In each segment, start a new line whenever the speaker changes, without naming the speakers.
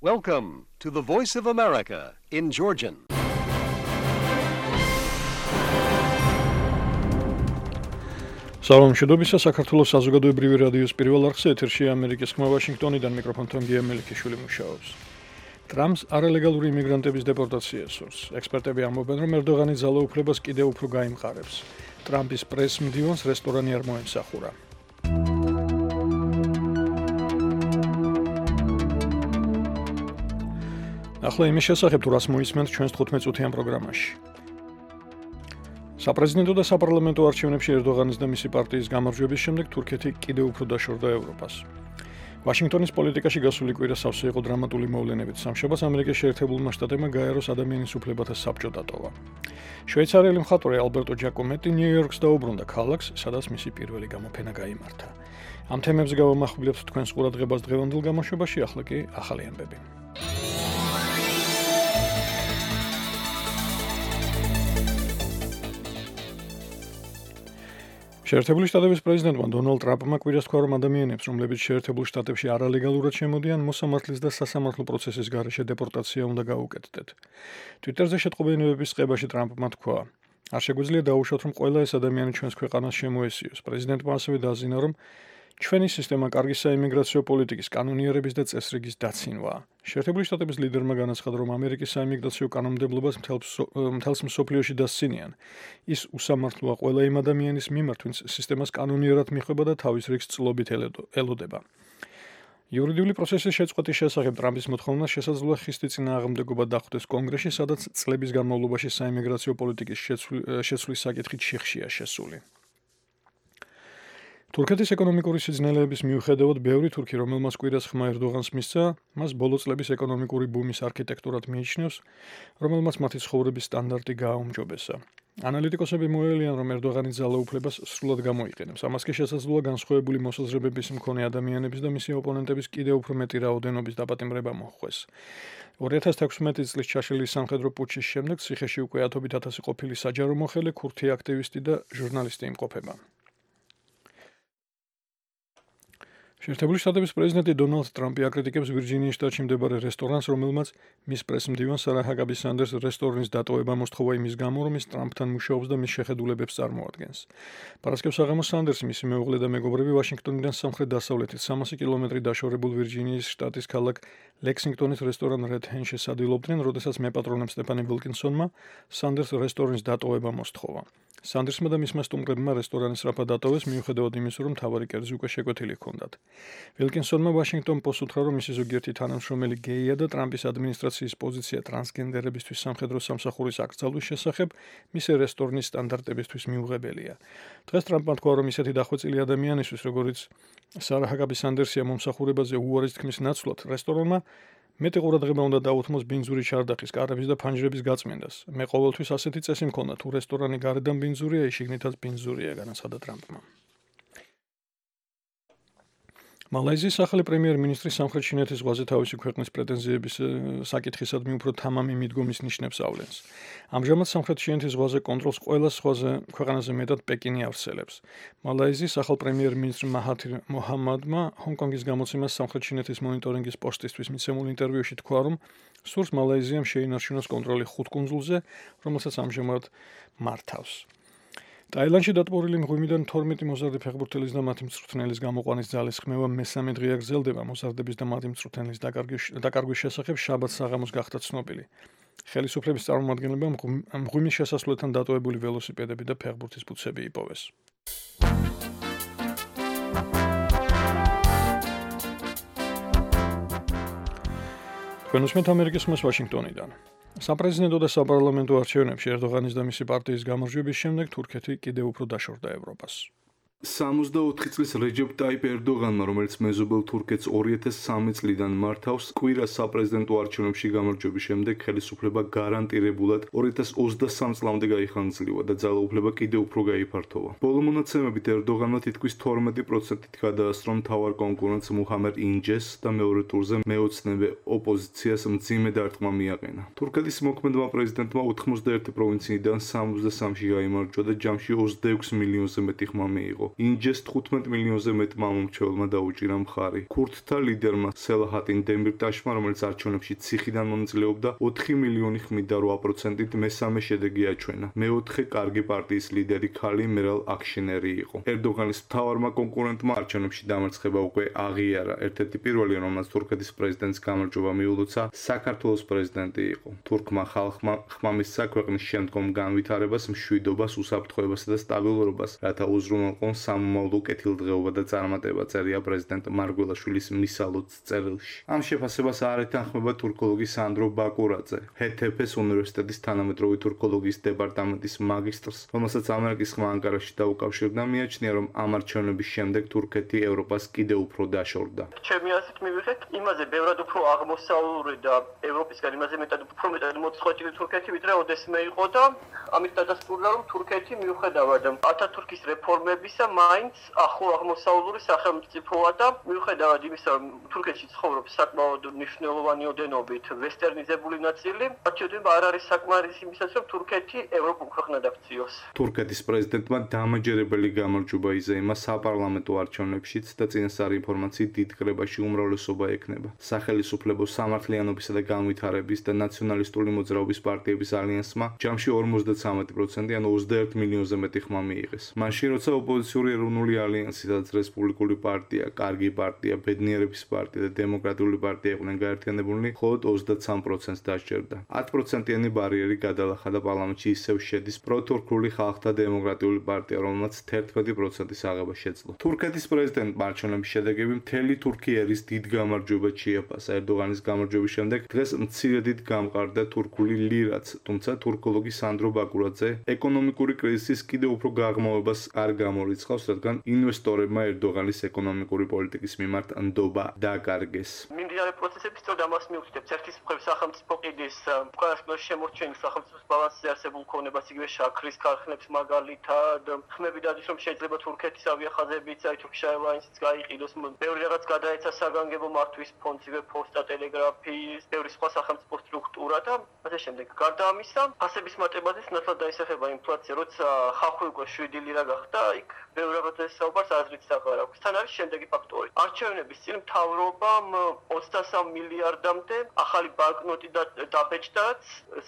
Welcome to the Voice of America in Georgian.
Salam შედობისა საქართველოს საზოგადოებრივი რადიოს პირველ არხზე ეთერშია ამერიკის ხმა ვაშინგტონიდან მიკროფონთან გია მელიქიშვილი მუშაობს. ტრამპს არალეგალური იმიგრანტების დეპორტაცია სურს. ექსპერტები ამბობენ, რომ ერდოღანი ძალაუფლებას კიდევ უფრო გაიმყარებს. ტრამპის პრეს-მდივანს რესტორანი არ მოემსახურა. ახლა იმის შესახებ, თუ რას მოისმენთ ჩვენს 15 წუთიან პროგრამაში. საპრეზიდენტო და საპარლამენტო არჩევნებში ერდოღანის და მისი პარტიის გამარჯვების შემდეგ თურქეთი კიდევ უფრო დაშორდა ევროპას. ვაშინგტონის პოლიტიკაში გასული კვირა სავსე იყო დრამატული მოვლენებით. სამშაბათს ამერიკის შეერთებულმა შტატებმა გაეროს ადამიანის უფლებათა საბჭო დატოვა. შვეიცარიელი მხატვარი ალბერტო ჯაკომეტი ნიუ-იორკს დაუბრუნდა ქალაქს, სადაც მისი პირველი გამოფენა გაიმართა. ამ თემებზე გავამახვილებთ თქვენს ყურადღებას დღევანდელ გამოშვებაში, ახლა კი ახალი ამბები. შეერთებული შტატების პრეზიდენტმა დონალდ ტრამპმა კვირას თქვა, რომ ადამიანებს, რომლებიც შეერთებულ შტატებში არალეგალურად შემოდიან, მოსამართლის და სასამართლო პროცესის გარეშე დეპორტაცია უნდა გაუკეთდეთ. ტვიტერზე შეტყობინებების წყებაში ტრამპმა თქვა, არ შეგვიძლია დაუშვათ, რომ ყველა ეს ადამიანი ჩვენს ქვეყანას შემოესიოს. პრეზიდენტმა ასევე დააზიანა, რომ ჩვენი სისტემა კარგი საიმიგრაციო პოლიტიკის, კანონიერების და წესრიგის დაცინვაა. შეერთებული შტატების ლიდერმა განაცხადა, რომ ამერიკის საიმიგრაციო კანონმდებლობას მთელს მსოფლიოში დასცინიან. ის უსამართლოა ყველა იმ ადამიანის მიმართ, ვინც სისტემას კანონიერად მიხვება და თავის რიგს წლობით ელოდება. იურიდიული პროცესის შეწყვეტის შესახებ ტრამპის მოთხოვნას შესაძლოა ხისტი წინააღმდეგობა დახვდეს კონგრესში, სადაც წლების განმავლობაში საიმიგრაციო პოლიტიკის შეცვლის საკითხით შიხშია შესული. თურქეთის ეკონომიკური სიძნელეების მიუხედავად, ბევრი თურქი, რომელმაც კვირას ხმა ერდოღანს მისცა, მას ბოლო წლების ეკონომიკური ბუმის არქიტექტურად მიიჩნევს, რომელმაც მათი ცხოვრების სტანდარტი გააუმჯობესა. ანალიტიკოსები მოელიან, რომ ერდოღანი ძალაუფლებას სრულად გამოიყენებს. ამას კი შესაძლოა განსხვავებული მოსაზრებების მქონე ადამიანების და მისი ოპონენტების კიდევ უფრო მეტი რაოდენობის დაპატიმრება მოჰყვეს. 2016 წლის ჩაშლილი სამხედრო პუტჩის შემდეგ ციხეში უკვე ათობით ათასი ყოფილი საჯარო მოხელე, ქურთი აქტივისტი და ჟურნალისტი იმყოფება. შეერთებული შტატების პრეზიდენტი დონალდ ტრამპი აკრიტიკებს ვირჯინიის შტატში მდებარე რესტორანს, რომელმაც მის პრეს-მდივანს სარა ჰაკაბი სანდერს რესტორნის დატოვება მოსთხოვა იმის გამო, რომ ის ტრამპთან მუშაობს და მის შეხედულებებს წარმოადგენს. პარასკევს აღამოს სანდერსი, მისი მეუღლე და მეგობრები ვაშინგტონიდან სამხრეთ-დასავლეთით 300 კილომეტრი დაშორებულ ვირჯინიის შტატის ქალაქ ლექსინგტონის რესტორან რედ ჰენში სადილობდნენ, როდესაც მეპატრონემ სტეფანი ვილკინსონმა სანდერს რესტორნის დატოვება მოსთხოვა. სანდერსმა და მისმა სტუმრებმა რესტორანი სწრაფად დატოვეს, მიუხედავად იმისა, რომ მთავარი კერძი უკვე შეკვეთილი ჰქონდათ. ვილკინსონმა ვაშინგტონ პოსტს უთხრა, რომ მისი ზოგიერთი თანამშრომელი გეია და ტრამპის ადმინისტრაციის პოზიცია ტრანსგენდერებისთვის სამხედრო სამსახურის აკრძალვის შესახებ მისი რესტორნის სტანდარტებისთვის მიუღებელია. დღეს ტრამპმა თქვა, რომ ისეთი დახვეწილი ადამიანისთვის, როგორიც სარა ჰაკაბი სანდერსია მომსახურებაზე უარის თქმის ნაცვლად, რესტორანმა მეტი ყურადღება უნდა დაუთმოს ბინძური ჩარდახის, კარების და ფანჯრების გაწმენდას. მე ყოველთვის ასეთი წესი მქონდა, თუ რესტორანი გარედან ბინძურია, ის შიგნითაც ბინძურია, განაცხადა ტრამპმა. მალაიზიის ახალი პრემიერ-მინისტრი სამხრეთ ჩინეთის ზღვაზე თავისი ქვეყნის პრეტენზიების საკითხისადმი უფრო თამამი მიდგომის ნიშნებს ავლენს. ამჟამად სამხრეთ ჩინეთის ზღვაზე კონტროლს ყველა ზღვაზე ქვეყანაზე მეტად პეკინი ავსელებს. მალაიზიის ახალ პრემიერ-მინისტრ მაჰათირ მოჰამადმა ჰონკონგის გამოცემას სამხრეთ ჩინეთის მონიტორინგის პოსტისთვის მიცემულ ინტერვიუში თქვა, რომ სურს მალაიზიამ შეინარჩუნოს კონტროლი 5 კუნძულზე, რომელსაც ამჟამად მართავს. ტაილანდში დატბორილი მღვიმიდან 12 მოზარდი ფეხბურთელის და მათი მწვრთნელის გამოყვანის ძალის ხმევა მესამე დღეა გრძელდება. მოზარდების და მათი მწვრთნელის დაკარგვის შესახებ შაბათს საღამოს გახდა ცნობილი. ხელისუფლების წარმომადგენლებმა მღვიმის შესასვლელთან დატოვებული ველოსიპედები და ფეხბურთის ბუთსები იპოვეს. თქვენ უსმენთ ამერიკის ხმას ვაშინგტონიდან. საპრეზიდენტო და საპარლამენტო არჩევნებში ერდოღანის და მისი პარტიის გამარჯვების შემდეგ თურქეთი კიდევ უფრო დაშორდა ევროპას.
64 წლის რეჯეპ ტაიპ ერდოღანმა, რომელიც მეზობელ თურქეთს 2003 წლიდან მართავს, კვირას საპრეზიდენტო არჩევნებში გამარჯვების შემდეგ ხელისუფლება გარანტირებულად 2023 წლამდე გაიხანგრძლივა და ძალაუფლება კიდევ უფრო გაიფართოვა. ბოლო მონაცემებით ერდოღანმა თითქმის 12%-ით გადაასწრო მთავარ კონკურენტს მუჰამედ ინჯეს და მეორე ტურზე მეოცნებე ოპოზიციას მძიმე დარტყმა მიაყენა. თურქეთის მოქმედმა პრეზიდენტმა 91 პროვინციიდან 63-ში გაიმარჯვა და ჯამში 26 მილიონზე მეტი ხმა მიიღო. ინჯეს 15 მილიონზე მეტმა მომრჩეველმა დაუჭირა მხარი. ქურთთა ლიდერმა სელაჰატინ დემირტაშმა, რომელიც არჩევნებში ციხიდან მონაწილეობდა, 4 მილიონი ხმით და 8%-ით მესამე შედეგი აჩვენა. მეოთხე კარგი პარტიის ლიდერი ქალი მერალ აქშენერი იყო. ერდოგანის მთავარმა კონკურენტმა არჩევნებში დამარცხება უკვე აღიარა. ერთ-ერთი პირველი, რომელმაც თურქეთის პრეზიდენტს გამარჯვება მიულოცა, საქართველოს პრეზიდენტი იყო. თურქმა ხალხმა ხმა მისცა ქვეყნის შემდგომ განვითარებას, მშვიდობას, უსაფრთხოებასა და სტაბილურობას, რათა უზრუნველყონ სამომავლო კეთილდღეობა და წარმატება, წერია პრეზიდენტ მარგველაშვილის მისალოც წერილში. ამ შეფასებას არ ეთანხმება თურქოლოგი სანდრო ბაკურაძე, ჰეთეფეს უნივერსიტეტის თანამედროვე თურქოლოგიის დეპარტამენტის მაგისტრს, რომელსაც ამერიკის ხმა ანკარაში დაუკავშირდა, მიაჩნია, რომ ამ არჩევნების შემდეგ თურქეთი ევროპას კიდევ უფრო დაშორდა.
ჩემი აზრით მივიღეთ იმაზე ბევრად უფრო აღმოსავლური და ევროპისგან იმაზე მეტად უფრო მეტად მოწყვეტილი თურქეთი, ვიდრე ოდესმე იყო და ამით დადასტურდა, რომ თურქეთი მიუხედავად ათათურქის რეფორმებისა მაინც ახლო აღმოსავლური სახელმწიფოა და მიუხედავად იმისა, რომ თურქეთში ცხოვრობს საკმაოდ მნიშვნელოვანი ოდენობით ვესტერნიზებული ნაწილი, არჩევნებმა არ არის საკმარისი იმისათვის, რომ თურქეთი ევროპულ ქვეყნად აქციოს.
თურქეთის პრეზიდენტმა დამაჯერებელი გამარჯვება იზეიმა საპარლამენტო არჩევნებშიც და წინასწარი ინფორმაციით დიდ კრებაში უმრავლესობა ექნება. სახელისუფლებო სამართლიანობისა და განვითარების და ნაციონალისტური მოძრაობის პარტიების ალიანსმა ჯამში 53% ან 21 მილიონზე მეტი ხმა მიიღეს. მაშინ როცა ოპოზიციური ეროვნული ალიანსი, სადაც რესპუბლიკური პარტია, კარგი პარტია, ბედნიერების პარტია და დემოკრატიული პარტია იყვნენ გაერთიანებულნი, მხოლოდ 23%-ს დასჯერდა. 10%-იანი ბარიერი გადალახა და პარლამენტში ისევ შედის პროთურქული ხალხთა დემოკრატიული პარტია, რომელმაც 11%-ის აღება შეძლო. თურქეთის პრეზიდენტმა არჩევნების შედეგები მთელი თურქეთის დიდ გამარჯვებად შეაფასა. ერდოგანის გამარჯვების შემდეგ დღეს მცირედით გამყარდა თურქული ლირაც, თუმცა თურქოლოგი სანდრო ბაკურაძე ეკონომიკური კრიზისის კიდევ უფრო გაღრმავებას არ გამორიცხავს, რადგან ინვესტორებმა ერდოგანის ეკონომიკური პოლიტიკის მიმართ ნდობა დააკარგეს.
მიმდინარე პროცესები სწორედ ამას მიუთითებს. ერთის მხრივ სახელმწიფო ყიდის უკანასკნელი შემორჩენილი სახელმწიფოს ბალანსზე არსებულ ქონებას, იგივე შაქრის ქარხნებს მაგალითად, ხმები დადის, რომ შეიძლება თურქეთის ავიახაზებიც, Turkish Airlines-იც გაიყიდოს, ბევრი რაღაც გადაეცა საგანგებო მართვის ფონდს, იგივე პოსტა, ტელეგრაფიის, ბევრი სხვა სახელმწიფო სტრუქტურა და ასე შემდეგ. გარდა ამისა, ფასების მატებაზეც ნათლად დაისახება ინფლაცია, როცა ხალხი უკვე 7 ლირა გახდა, იქ ბევრი რაღაცის საუბარს აზრიც აღარ აქვს. თან არის შემდეგი ფაქტორი. არჩევნების წინ მთავრობამ 23 მილიარდამდე ახალი ბანკნოტი დაბეჭდაც,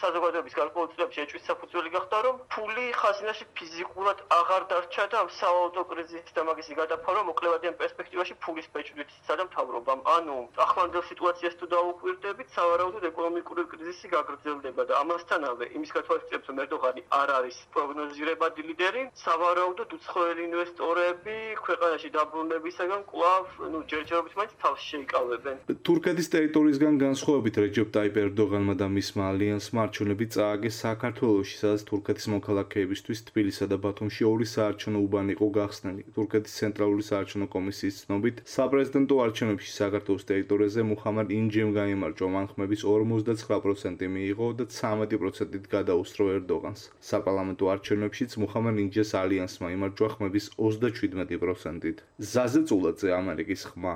საზოგადოების გარკვეულწილებში ეჭვის საფუძველი გახდა, რომ ფული ხაზინაში ფიზიკურად აღარ დარჩა და ამ სავალუტო კრიზისის და მაგისი გადაფარვა მოკლევადიან პერსპექტივაში ფულის ბეჭდვით სცადა მთავრობამ. ანუ ახლანდელ სიტუაციას თუ დაუკვირდებით, სავარაუდოდ ეკონომიკური კრიზისი გაგრძელდება და ამასთანავე იმის გათვალისწინებით, რომ ერდოღანი არ არის პროგნოზირებადი ლიდერი, სავარაუდოდ უცხოელი ინვესტორები ქვეყანაში დაბრუნებისაგან კვლავ ჯერჯერობით მაინც თავს შეიკავებენ.
თურქეთის ტერიტორიისგან განსხვავებით რეჯეპ ტაიპ ერდოგანმა და მისმა ალიანსმა არჩევნები წააგეს საქართველოში, სადაც თურქეთის მოქალაქეებისთვის თბილისსა და ბათუმში ორი საარჩევნო უბანი იყო გახსნილი. თურქეთის ცენტრალური საარჩევნო კომისიის ცნობით, საპრეზიდენტო არჩევნებში საქართველოს ტერიტორიაზე მუხამად ინჯემ გაიმარჯვა, მან ხმების 59% მიიღო და 13%-ით გადაუსწრო ერდოგანს. საპარლამენტო არჩევნებშიც მუხამად ინჯეს ალიანსმა იმარჯვა ხმების 37%-ით. ზაზე წულაძე, ამერიკის ხმა.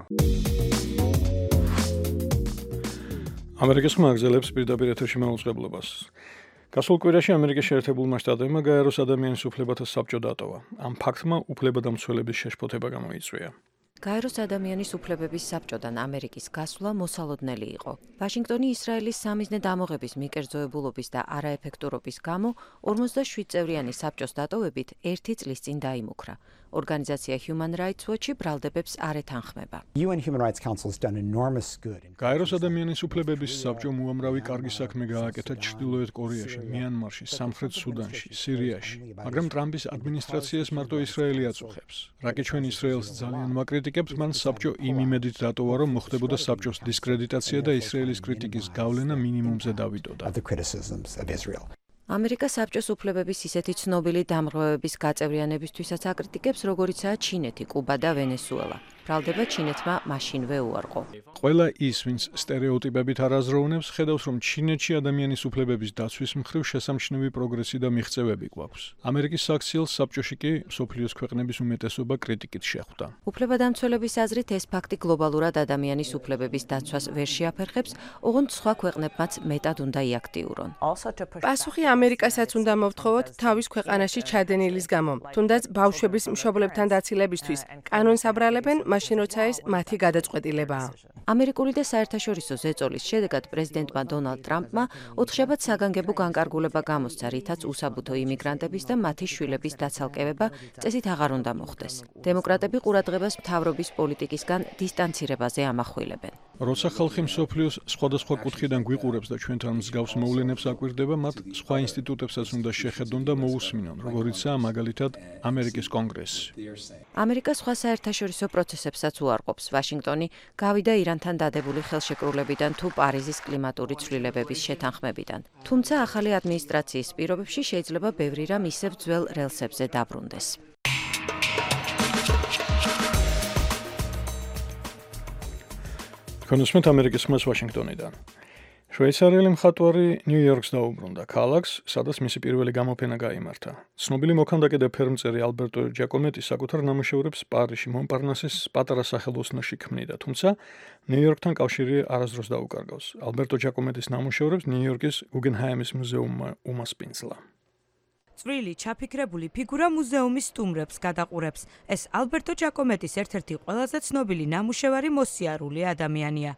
ამერიკის ხმა აგზელებს პირდაპირ ეთერში მაუწყებლობას. გასულ კვირაში ამერიკის შეერთებულმა შტატებმა გაეროს ადამიანის უფლებათა საბჭო დატოვა. ამ ფაქტმა უფლებადამცველების შეშფოთება გამოიწვია.
გაეროს ადამიანის უფლებების საბჭოდან ამერიკის გასვლა მოსალოდნელი იყო. ვაშინგტონი ისრაელის სამიზნე დამოღების მიკერძოებულობის და არაეფექტურობის გამო 47 წევრიანი საბჭოს დატოვებით 1 წლის წინ დაიმუქრა. ორგანიზაცია Human Rights Watch ბრალდებებს არ ეთანხმება.
გაეროს ადამიანის უფლებების საბჭომ უამრავი კარგი საქმე გააკეთა ჩრდილოეთ კორეაში, მიანმარში, სამხრეთ სუდანში, სირიაში, მაგრამ ტრამპის ადმინისტრაციას მარტო ისრაელი აწუხებს. რაკი ჩვენ ისრაელს ძალიან მაკრიტიკებთ, მან საბჭო იმ იმედით დატოვა, რომ მოხდებოდა საბჭოს დისკრედიტაცია და ისრაელის კრიტიკის გავლენა მინიმუმზე დავიდოდა.
ამერიკა საბჭოს უფლებების ისეთი ცნობილი დამღრევების გაწევრიანებისთვისაც აკრიტიკებს, როგორიცაა ჩინეთი, კუბა და ვენესუელა. ბრალდება ჩინეთმა მაშინვე უარყო.
ყველა ის, ვინც სტერეოტიპებით არ აზროვნებს, ხედავს, რომ ჩინეთში ადამიანის უფლებების დაცვის მხრივ შესამჩნევი პროგრესი და მიღწევები გვაქვს. ამერიკის საქციელს საბჭოში კი მსოფლიოს ქვეყნების უმეტესობა კრიტიკით შეხვდა.
უფლებადამცველების აზრით, ეს ფაქტი გლობალურად ადამიანის უფლებების დაცვას ვერ შეაფერხებს, ოღონდ სხვა ქვეყნებმაც მეტად უნდა იაქტიურონ.
პასუხი ამერიკასაც უნდა მოვთხოვოთ თავის ქვეყანაში ჩადენილის გამო. თუნდაც ბავშვების მშობლებთან დაცილებისთვის კანონს აბრალებენ, მაშინ როცა ეს მათი გადაწყვეტილებაა.
ამერიკული და საერთაშორისო ზეწოლის შედეგად პრეზიდენტმა დონალდ ტრამპმა 4 შაბათს საგანგებო განკარგულება გამოსცა, რითაც უსაბუთო იმიგრანტების და მათი შვილების დაცალკევება წესით აღარ უნდა მოხდეს. დემოკრატები ყურადღებას მთავრობის პოლიტიკისგან დისტანცირებაზე ამახვილებენ.
როცა ხალხი მსოფლიოს სხვადასხვა კუთხიდან გვიყურებს და ჩვენთან მსგავს მოვლენებს აკვირდება, მათ სხვა ინსტიტუტებსაც უნდა შეხედონ და მოусმინონ, როგორიცაა მაგალითად ამერიკის კონგრესი.
ამერიკა სხვა საერთაშორისო პროცესებსაც უარყოფს. ვაშინგტონი გავიდა ირანთან დადებული ხელშეკრულებიდან თუ პარიზის კლიმატური ცვლილებების შეთანხმებიდან. თუმცა ახალი ადმინისტრაციის პირობებში შეიძლება ბევრი რამ ისევ ძველ რელსებზე დაბრუნდეს.
კონსუმენტ ამერიკის ხმას ვაშინგტონიდან. შვეიცარიელი მხატვარი ნიუ-იორკს დაუბრუნდა ქალაქს, სადაც მისი პირველი გამოფენა გაიმართა. ცნობილი მოქანდაკე და ფერმწერი ალბერტო ჯაკომეტი საკუთარ ნამუშევრებს პარიზში მონპარნასის პატარა სახელოსნოში ქმნიდა, თუმცა ნიუ-იორკთან კავშირი არასდროს დაუკარგავს. ალბერტო ჯაკომეტის ნამუშევრებს ნიუ-იორკის გუგენჰაიმის მუზეუმმა უმასპინძლა.
წვრილი ჩაფიქრებული ფიგურა მუზეუმის სტუმრებს გადაყურებს. ეს ალბერტო ჯაკომეტის ერთ-ერთი ყველაზე ცნობილი ნამუშევარი მოსიარული ადამიანია.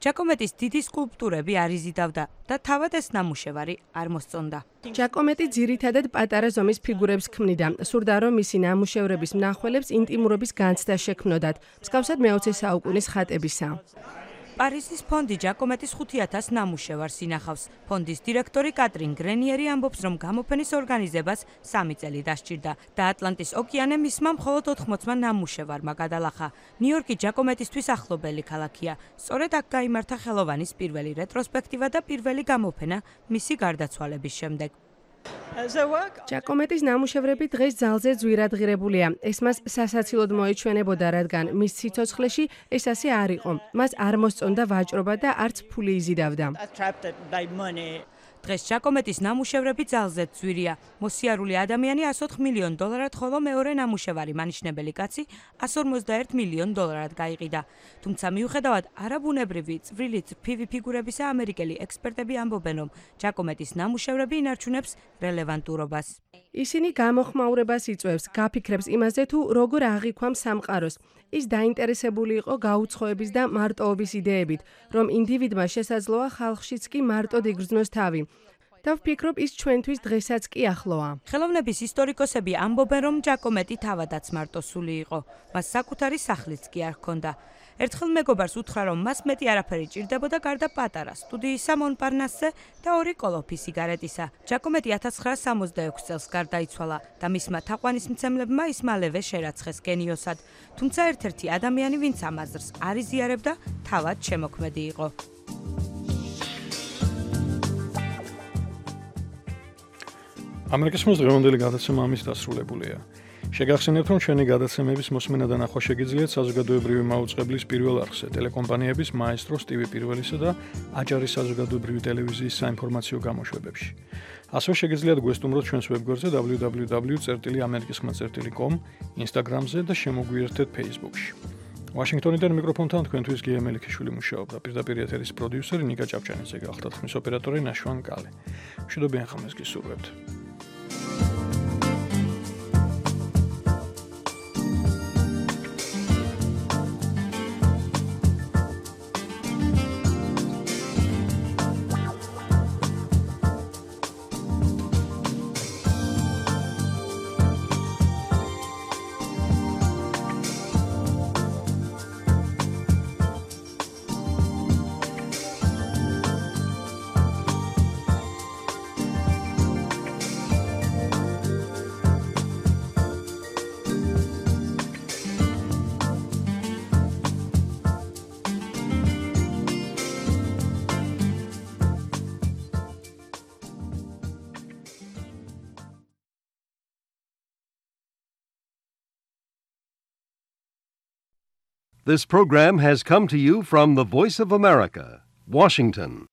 ჯაკომეტის დიდი სკულპტურები არ იზიდავდა და თავად ეს ნამუშევარი არ მოსწონდა.
ჯაკომეტი ძირითადად პატარა ზომის ფიგურებს ქმნიდა. სურდა, რომ მისი ნამუშევრების მნახველებს ინტიმურობის განცდა შექმნოდათ, მსგავსად მე-20 საუკუნის ხატებისა.
პარიზის ფონდი ჯაკომეტის 5000 ნამუშევარს ინახავს. ფონდის დირექტორი კატრინ გრენიერი ამბობს, რომ გამოფენის ორგანიზებას 3 წელი დასჭირდა და ატლანტის ოკეანე მისმა მხოლოდ 80 ნამუშევარმა გადალახა. ნიუ-იორკი ჯაკომეტისთვის ახლობელი ქალაქია. სწორედ აქ გაიმართა ხელოვანის პირველი რეტროსპექტივა და პირველი გამოფენა მისი გარდაცვალების შემდეგ.
ჯაკომეტის ნამუშევრები დღეს ძალზე ძვირადღირებულია. ეს მას სასაცილოდ მოეჩვენებოდა, რადგან მის სიცოცხლეში ეს ასე არ იყო. მას არ მოსწონდა ვაჭრობა და არც ფული იზიდავდა.
დღეს ჯაკომეტის ნამუშევრები ძალზედ ძვირია. მოსიარული ადამიანი $104 მილიონ, ხოლო მეორე ნამუშევარი მანიშნებელი კაცი $151 მილიონ გაიყიდა. თუმცა მიუხედავად არაბუნებრივი წვრილი წრფივი ფიგურებისა, ამერიკელი ექსპერტები ამბობენ, რომ ჯაკომეტის ნამუშევრები ინარჩუნებს რელევანტურობას.
ისინი გამოხმაურებას იწვევს, გაფიქრებს იმაზე, თუ როგორ აღიქვამს სამყაროს. ის დაინტერესებული იყო გაუცხოების და მარტოობის იდეებით, რომ ინდივიდმა შესაძლოა ხალხშიც კი მარტოდ იგრძნოს თავი. და ვფიქრობ, ის ჩვენთვის დღესაც კი ახლოა.
ხელოვნების ისტორიკოსები ამბობენ, რომ ჯაკომეტი თავადაც მარტოსული იყო. მას საკუთარი სახლიც კი არ ჰქონდა. ერთხელ მეგობარს უთხრა, რომ მას მეტი არაფერი ჭირდებოდა გარდა პატარა სტუდიისა მონპარნასზე და 2 კოლოფი სიგარეტისა. ჯაკომეტი 1966 წელს გარდაიცვალა და მისმა თაყვანისმცემლებმა ის მალევე შერაცხეს გენიოსად. თუმცა ერთ-ერთი ადამიანი, ვინც ამ აზრს არ იზიარებდა, თავად შემოქმედი იყო.
ამერიკის დღევანდელი გადაცემა ამის დასრულებულია. შეგახსენებთ, რომ ჩვენი გადაცემების მოსმენა და ნახვა შეგიძლიათ საზოგადოებრივი მაუწყებლის პირველ არხზე, ტელეკომპანიების მაესტროს TV პირველისა და აჭარის საზოგადოებრივი ტელევიზიის საინფორმაციო გამოშვებებში. ასევე შეგიძლიათ გვესტუმროთ ჩვენს ვებგვერდზე www.amerikiskhma.com, Instagram-ზე და შემოგვიერთეთ Facebook-ში. ვაშინგტონიდან მიკროფონთან თქვენთვის გია მელიქიშვილი მუშაობდა. პირდაპირ ეთერის პროდიუსერი ნიკა ჭავჭანიძე გახდათ, ხმის ოპერატორი ნაშვან კალე. მშვიდობიან ხმას გისურვებთ.
This program has come to you from the Voice of America, Washington.